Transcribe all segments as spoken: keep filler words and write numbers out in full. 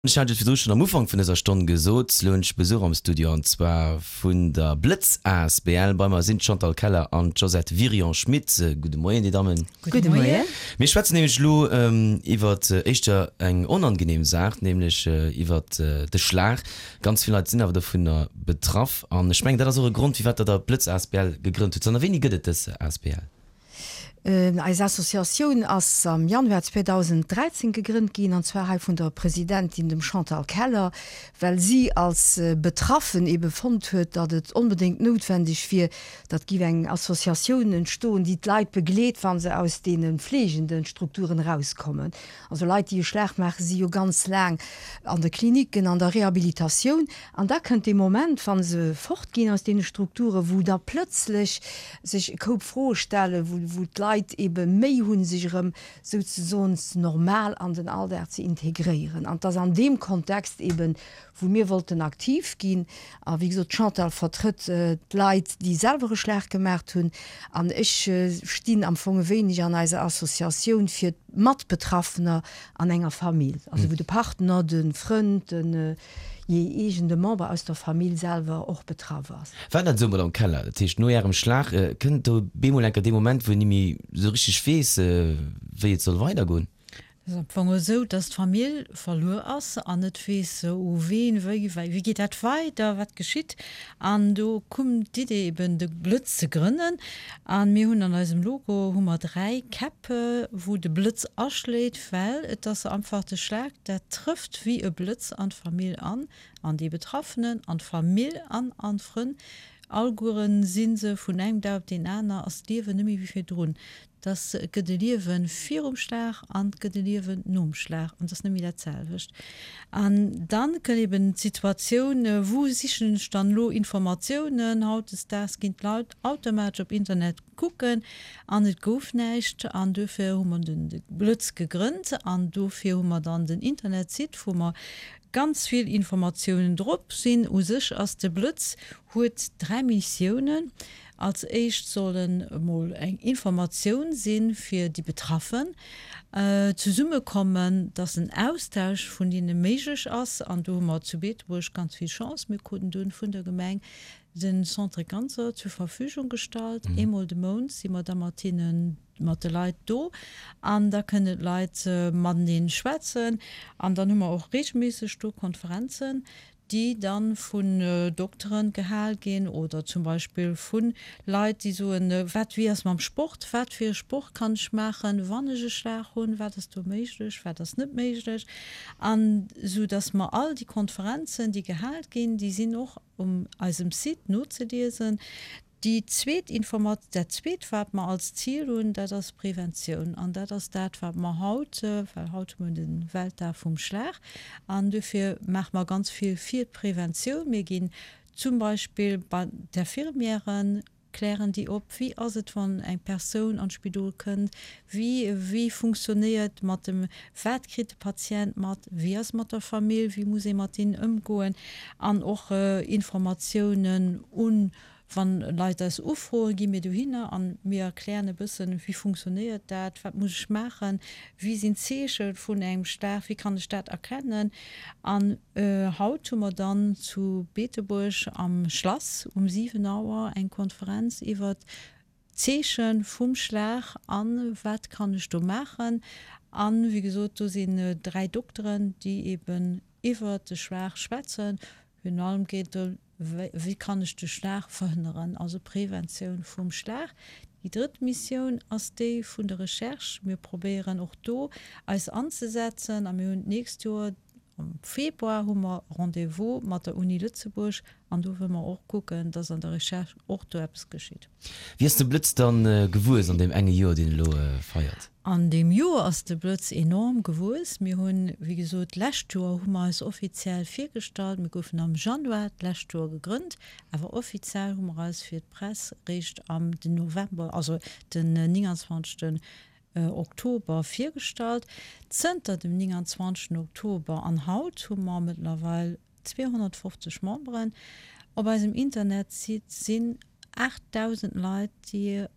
Ech hat et virdru schonn am Ufank vun dëser Stonn gesot, elo hunn ech Besuch am Studio an zwar vun der Blëtz asbl. Bei mer sinn d'Chantal Keller an d'Josette Wirion-Schmit. Gudde Moien, Dir Dammen. Gudde Moien. Mir schwätzen nämlech elo iwwer éischter eng onangenehm Saach, nämlech iwwer de Schlag. Ganz vill Leit sinn awer dovunner betraff an ech mengen, dat ass och e Grond, firwat Der der Blëtz asbl gegrënnt hutt. Zanter wéini gëtt et dës asbl? Eis Associatioun ass am Januar zweedausenddräizéng gegrënnt ginn, an zwar hei vun der Presidentin, dem Chantal Keller, well si als Betraffen ebe fonnt huet, datt et onbedéngt noutwendeg wier, datt giff eng Associatioun entstoen, déi d'Leit begleet, wa se aus deene fleegende Strukturen erauskommen. Also Leit, déi e Schlag maachen, si jo ganz laang an de Klinicken, an der Rehabilitatioun, an da kënnt dee Moment, wa se fortginn aus deene Strukturen, wou da plëtzlech sech e Koup Froe stellen, wou d'Leit ebe Méi hunn, sech erëm souzesoen normal an den Alldag ze integréieren. An et ass an deem Kontext eben, wou mir wollten aktiv ginn. A wéi gesot, d'Chantal vertrëtt d'Leit, déi selwer e Schlag gemaacht hunn, an ech stinn am Fong e wéineg an eiser Associatioun fir d'Matbetraffener an enger Famill, also wou de Partner, de Frënd, den jee eegene Member aus der Famill selwer och betraff ass. War dat esou, Madame Keller? Dat heescht, no Ärem Schlag kënnt do bemol enker dee Moment, wou een ni méi esou richteg weess, wéi et soll weidergoen? Et ass am Fong esou, dass d'Famill verluer ass an net weess, u ween, wéi, wéi geet dat weider, wat geschitt. An do koum d'Idee eben de Blëtz ze grënnen. A mir hunn an eisem Logo hu mer dräi Käpp, wou de Blëtz aschléit, well et ass einfach de Schlag, dat trëfft wéi e Blëtz an d'Famill an, an dee Betraffenen, an d'Famill an an d'Frënn. Allgueren si se vun engem Dag op deen aner ass d'Liewen net méi wéi virdrun. Dass et gëtt e Liewe virum Schlag an et gëtt e Liewen nom Schlag an et ass net méi dat selwecht. An dann kënnt eben d'Situatioun, wou sichen ech dann elo Informatiounen? Hautdesdaags ginn d'Leit automatesch op Internet kucken an et gouf näischt an duerfir hu mer den Blëtz gegrënnt an dofir hu mer dann den Internetsite, wou mer ganz vill Informatiounen drop sinn. U sech ass de Blëtz huet dräi Missiounen. Als éischt soll en emol eng Informatioun si fir déi Betraffen, zesummekommen, dass en Austausch vun hinne méiglech ass. An do hu mer zu Beetebuerg ganz vill Chance, mir kruten dunn vun der Gemeng de Centre Cancer zur Verfügung gestallt. Eemol de Mount si mer da mat hinnen, mat de Leit do an da kënnen d'Leit mateneen schwätzen. An dann hu mer och reegelméisseg do Konferenzen, déi dann vun Dokteren gehal ginn oder zum Beispill vu Leit, déi soen, wat, wéi ass mam Sport, wat fir e Sport kann ech maachen, wann ech e Schlag hunn, wat ass do méiglech, wat ass net méiglech. An esou dass mer all déi Konferenzen, déi gehal ginn, déi sinn och um eisem Site nozeliesen. Déi zweet Informa-, dat zweet, wat mer als Zil hunn, dat ass Preventioun. An dat ass dat, wat mer haut, well haut hu mer de Weltdag vum Schlag, an duerfir maache mer ganz vill fir d'Preventioun. Mir ginn zum Beispill bei d'Infirmièren, klären déi op, wéi ass et, wann eng Persoun an d'Spidol kënnt, wéi, wéi funktionéiert mat dem, wat kritt de Patient mat, wéi ass mat der Famill, wéi muss ee mat hinnen ëmgoen an och Informatiounen un Wann Leit eis ufroen, gi mir dohinner an mir erklären e bëssen, wéi funktionéiert dat, wat muss ech maachen, wéi sinn d'Zeeche vun engem Schlag, wéi kann ech dat erkennen. An haut hu mer dann zu Beetebuerg am Schlass um siwen Auer eng Konferenz iwwert d'Zeeche vum Schlag a wat kann ech do maachen. An, wéi gesot, do sinn dräi Dokteren, déi eben iwwert de Schlag schwätzen. Virun allem geet et Wéi kann ech de Schlag verhënneren, also Preventioun vum Schlag. Déi drëtt Missioun ass déi vun der Recherche. Mir probéieren och do eis anzesetzen a mir hunn d'nächst Joer am Februar hu mer Rendez-vous mat der Uni Lëtzebuerg an do wëlle mer och kucken, dass an der Recherche och do eppes geschitt. Wéi ass de Blëtz dann gewuess an deem enge Joer, deen elo feiert? An deem Joer ass de Blëtz enorm gewuess. Mir hunn, wéi gesot, d'lescht Joer hu mer eis offiziell virgestallt. Mir goufen am Januar d'lescht Joer gegrënnt, awer offiziell hu mer eis fir d'Press réischt am den November, also den nénganzwanzegsten Oktober virgestallt. Zënter dem nénganzwanzegsten Oktober an haut hu mer mëttlerweil zweehonnertfofzeg Memberen. Op eisem Internetsite sinn aachtdausend Leit, déi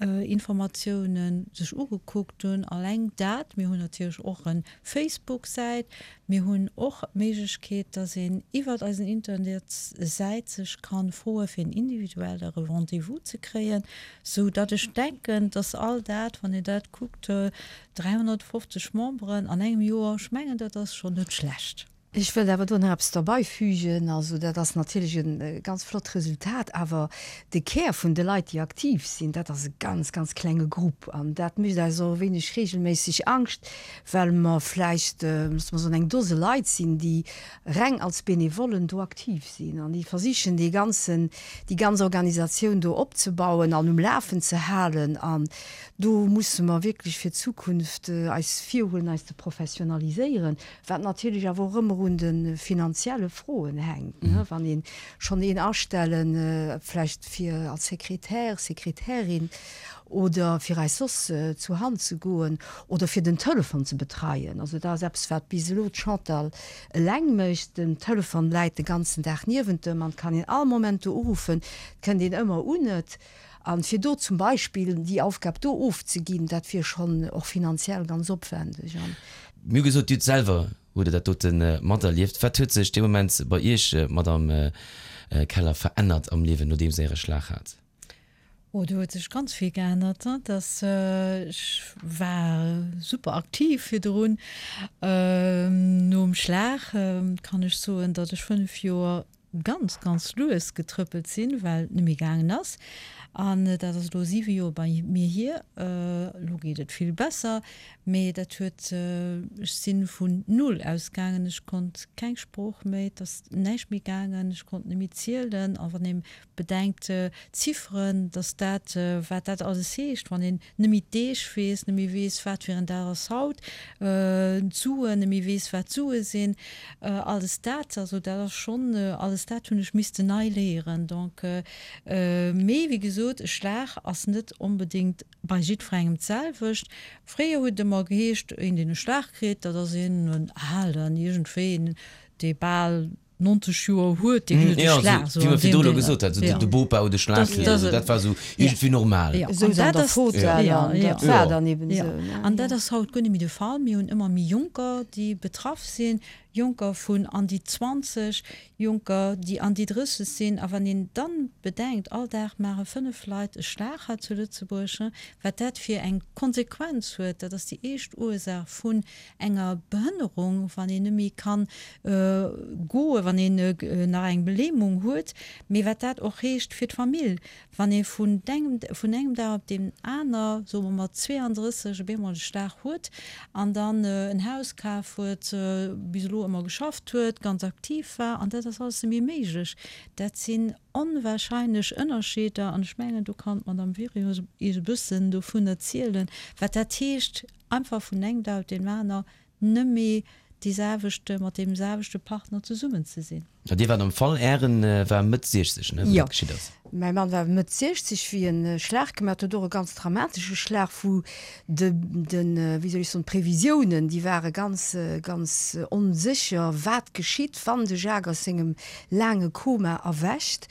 Informatiounen sech ugekuckt hunn. Alleng dat, mir hunn natierlech och en Facebook-Säit, mir hunn och d'Méiglechkeet, dass een iwwert eisen Internetsäit sech kann froe fir en individuellere Rendez-vous ze kréien, sou datt ech denken, dass all dat, wann een dat kuckt, dräihonnertfofzeg Memberen an engem Joer, ech mengen dat ass schonn net schlecht. Ech wëllt awer do nach eppes derbeifügen. Also dat ass natierlech e ganz flott Resultat, awer de Kär vun de Leit, déi aktiv sinn, dat ass e ganz, ganz klenge Grupp. An dat mécht eis och e wéineg regelméisseg Angscht, well mer vläicht, loosse mer soen, eng Dose Leit sinn, déi reng als Benevollen do aktiv sinn an déi versichen, dee ganzen, déi ganz Organisatioun do opzebauen an um Lafen ze halen. An do musse mer wierklech fir d'Zukunft eis virhuelen, eis ze professionaliséieren, wat natierlech awer och ëmmer un de finanzielle Froen hänkt, wann ee schonn een astellen, vläicht fir als Sekretär, Sekretärin oder fir eis soss zur Hand ze goen oder fir den Telefon ze betreien. Also dat ass eppes, wat bis elo d'Chantal eleng mécht. Den Telefon läit de ganzen Dag niewent em an et kann een all Moment do uruffen, et kënnt een ëmmer un et. An fir do zum Beispill déi Aufgab do ofzeginn, dat wier schonn och finanziell ganz opwendeg. An. Mir hu gesot, Dir hutt selwer hutt Der dat dote materlieft. Wat huet sech dee Moment bei Iech, Madamm Keller, verännert am Liewen, nodeems Der Äre Schlag hat? Oh, do huet sech ganz vill geännert. Dass ech war super aktiv virdrun. Nom Schlag kann ech soen, datt ech fënnef Joer ganz, ganz lues getrëppelt sinn, well et net méi gaangen ass. An dat ass elo siwe Joer bei mir hier. Elo geet et vill besser, mee dat huet, ech si vun null ausgaangen. Ech konnt keng Sprooch méi, et ass näischt méi gaangen, ech konnt net méi zielen. A wann ee bedenkt d'Zifferen, dass dat, wat dat alles heescht, wann een net méi d'Deeg weess, net méi weess, wat fir en Dag ass haut, d'Suen, net méi weess, wat d'Sue sinn, alles dat, also dat ass schonn, alles dat hunn ech missten nei léieren. Donc, mee wéi gesot, e Schlag ass net onbedéngt bei jiddwerengem d'selwecht. Fréier huet et ëmmer geheescht, een deen e Schlag kritt, dat ass een en Alen, iergendwéi een, dee bal nonzeg Joer huet, dee kritt e Schlag. Wéi mer virdru elo gesot hat, de Bopa huet e Schlag kritt, also dat war esou iergendwéi normal. Esou an der Fotell an dat war dann eben esou. An dat ass haut guer net méi de Fall. Mir hunn ëmmer méi Jonker, déi betraff sinn, Jonker vun an déi zwanzeg, Jonker, déi an déi drësseg sinn. A wann een dann bedenkt, all Dag maache fënnef Leit e Schlag hei zu Lëtzebuerg, wat dat fir eng Konsequenz huet, dat ass déi éischt Ursaach vun enger Behënnerung, wann een net méi kann goen, wann een nach eng Lähmung huet, mee wat dat och heescht fir d'Famill, wann ee vun engem vun engem Dag op deem aner, soe mer mat zweeandrësseg, op eemol e Schlag huet an dann en Haus kaf huet, bis elo ëmmer geschafft huet, ganz aktiv war, an dat ass alles net méi méiglech. Dat sinn onwahrscheinlech Ënnerscheeder an ech mengen, do kann d'Madame Wirion Iech e bëssen dovun erzielen, wat dat heescht, einfach vun engem Dag op deen aner net méi déi selwecht, mat deem selwechte Partner zesummen ze sinn. A Dir waart am Fall, Ären war Mëtt siechzeg, ne, wou dat geschitt ass? Jo, mäi Mann war Mëtt siechzeg, wéi en e Schlag gemaach huet, och e ganz dramatesche Schlag, wou de, den, wéi soll ech soen, d'Previsiounen, déi ware ganz, ganz onsécher, wat geschitt, wann de Jacques aus sengem laange Koma erwächt.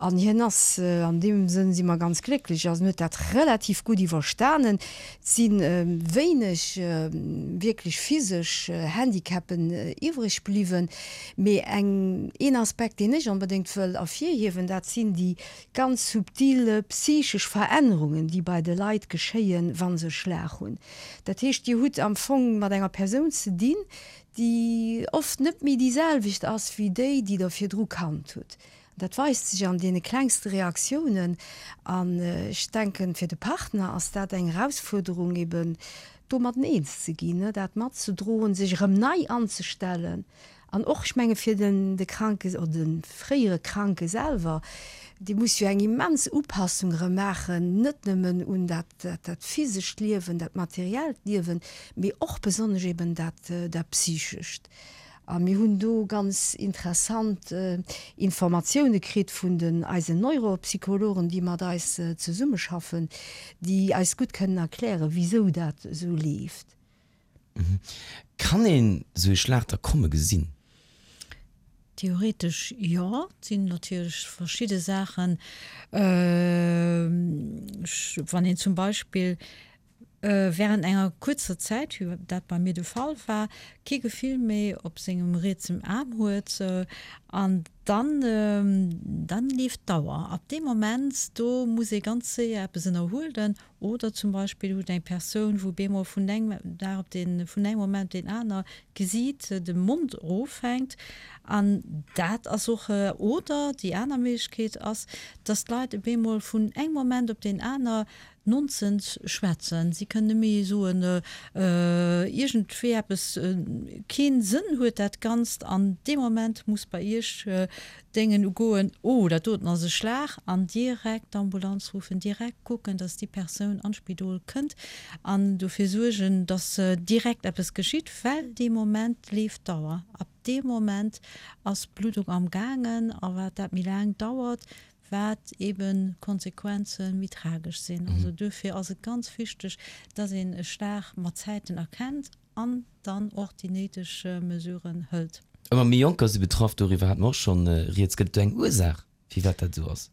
An hien ass, an deem Sënn si mer ganz glécklech, also en huet dat relativ gutt iwwerstanen. Et si wéineg wierklech physesch Handicapen iwwreg bliwwen. Mee eng, een Aspekt, deen ech onbedéngt wëll ervirhiewen, dat sinn déi ganz subtil psychesch Verännerungen, déi bei de Leit geschéien, wa se e Schlag hunn. Dat heescht, Dir hutt am Fong mat enger Persoun ze dinn, déi oft net méi déi selwecht ass wéi déi, déi Der virdru kannt hutt. Dat weist sech an deene klengste Reaktiounen. An ech denken, fir de Partner ass dat eng Erausfuerderung, eben domatten eens ze ginn, dat matzedroen, sech erëm nei anzestellen. An och, ech menge fir den de Kranke oder de fréiere Kranke selwer, dee muss jo eng immens Upassung erëm maachen, net nëmmen un dat dat physescht Liewen, dat materiellt Liewen, mee och besonnesch eben dat dat psychescht. A mir hunn do ganz interessant Informatioune kritt vun den eisen Neuropsychologen, déi mat eis zesummeschaffen, déi eis gutt kënnen erklären, wisou dat esou leeft. Kann een esou ee Schlag da komme gesinn? Theoretesch jo. Et sinn natierlech verschidde Saachen, wann een zum Beispill während enger kuerzer Zäit, wéi dat bei mir de Fall war, kee Gefill méi op sengem rietsem Aarm huet an dann, dann leeft d'Auer. Ab deem Moment do muss ee ganz séier eppes ënnerhuelen oder zum Beispill huet eng Persoun, wou bemol vun engem Dag op deen, vun engem Moment op deen aner d'Gesiit, de Mond erofhänkt an dat ass och, oder déi aner Méiglechkeet ass, dass d'Leit e bemol vun engem Moment op deen aner Nonsens schwätzen. Si kënnen net méi soen, iergendwéi eppes, keen Sënn huet dat Ganzt an dee Moment muss bei Iech d'Déngen ugoen, oh dat doten ass e Schlag, an direkt d'Ambulanz ruffen, direkt kucken, dass déi Persoun an d'Spidol kënnt an dofir suergen, dass direkt eppes geschitt, well dee Moment leeft d'Auer. Ab deem Moment ass d'Bluddung am gaangen a wat dat méi laang dauert, wat eben d'Konsequenze méi tragesch sinn. Also duerfir ass et ganz wichteg, dass een e Schlag mat Zäiten erkennt an dann och déi néideg Mesuren hëlt. Ëmmer méi Jonker si betraff, doriwwer hate mer och schonn rieds. Gëtt et do eng Ursaach, firwat dat esou ass?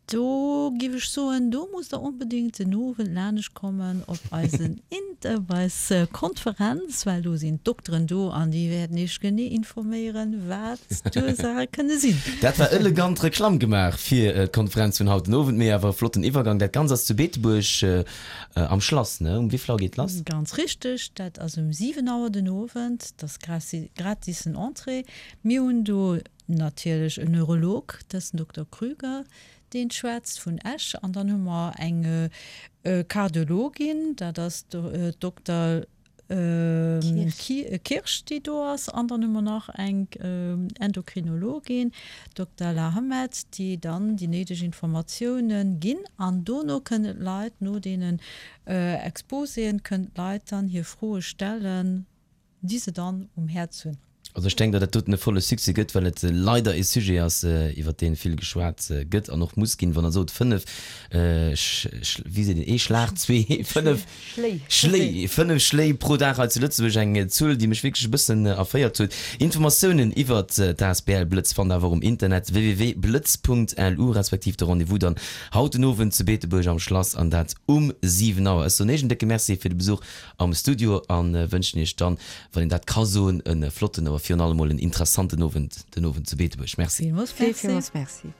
Do giff ech soen, do musst der onbedingt den Owend laanescht kommen op eisen Inter, op eis Konferenz, well do sinn d'Dokteren do an déi wäerten iech genee informéieren, wat d'Ursaache kënne sinn. Dat war elegant Reklamm gemaach fir d'Konferenz vun haut den Owend, mee awer e flotten Iwwergang. Dat Ganzt ass zu Beetebuerg am Schlass, ne? Um wéivill Auer geet lass? Ganz richteg, dat ass um siwen Auer den Owend. Dat ass gratisen Entrée. Mir hunn do natierlech en Neurolog, dat ass den Dokter Krüger, deen schwätzt vun Esch. An dann hu mer eng Kardiologin, dat ass d'Dokter Kirsch, déi do ass. An dann hu mer nach eng Endokrinologin, d'Dokter Lahamed, déi dann déi néideg Informatiounen ginn. An dono kënnen d'Leit, no deenen Exposéen, kënnen d'Leit dann hir Froe stellen, déi se dann um Häerz hunn. Also ech denken, datt dat doten e volle Succès gëtt, well et leider e Sujet ass, iwwert dee vill geschwat gëtt an och muss ginn. Wann Der sot fënnef, wéi seet een, ee Schlag, zwee, fënnef Schléi, fënnef Schléi pro Dag hei zu Lëtzebuerg, eng Zuel, déi mech wierklech e bëssen erféiert huet. Informatiounen iwwert d'asbl Blëtz fannt Der awer um Internet www.blëtz.lu respektiv de Rendez-vous dann haut den Owend zu Beetebuerg am Schlass an dat um siwen Auer. Ech soen Iech en décke Merci fir de Besuch am Studio a wënschen Iech dann, wann een dat ka soen, e flotten, awer virun allem mol en interessanten Owend den Owend zu Beetebuerg. Merci. Villmools Merci. Villmools Merci.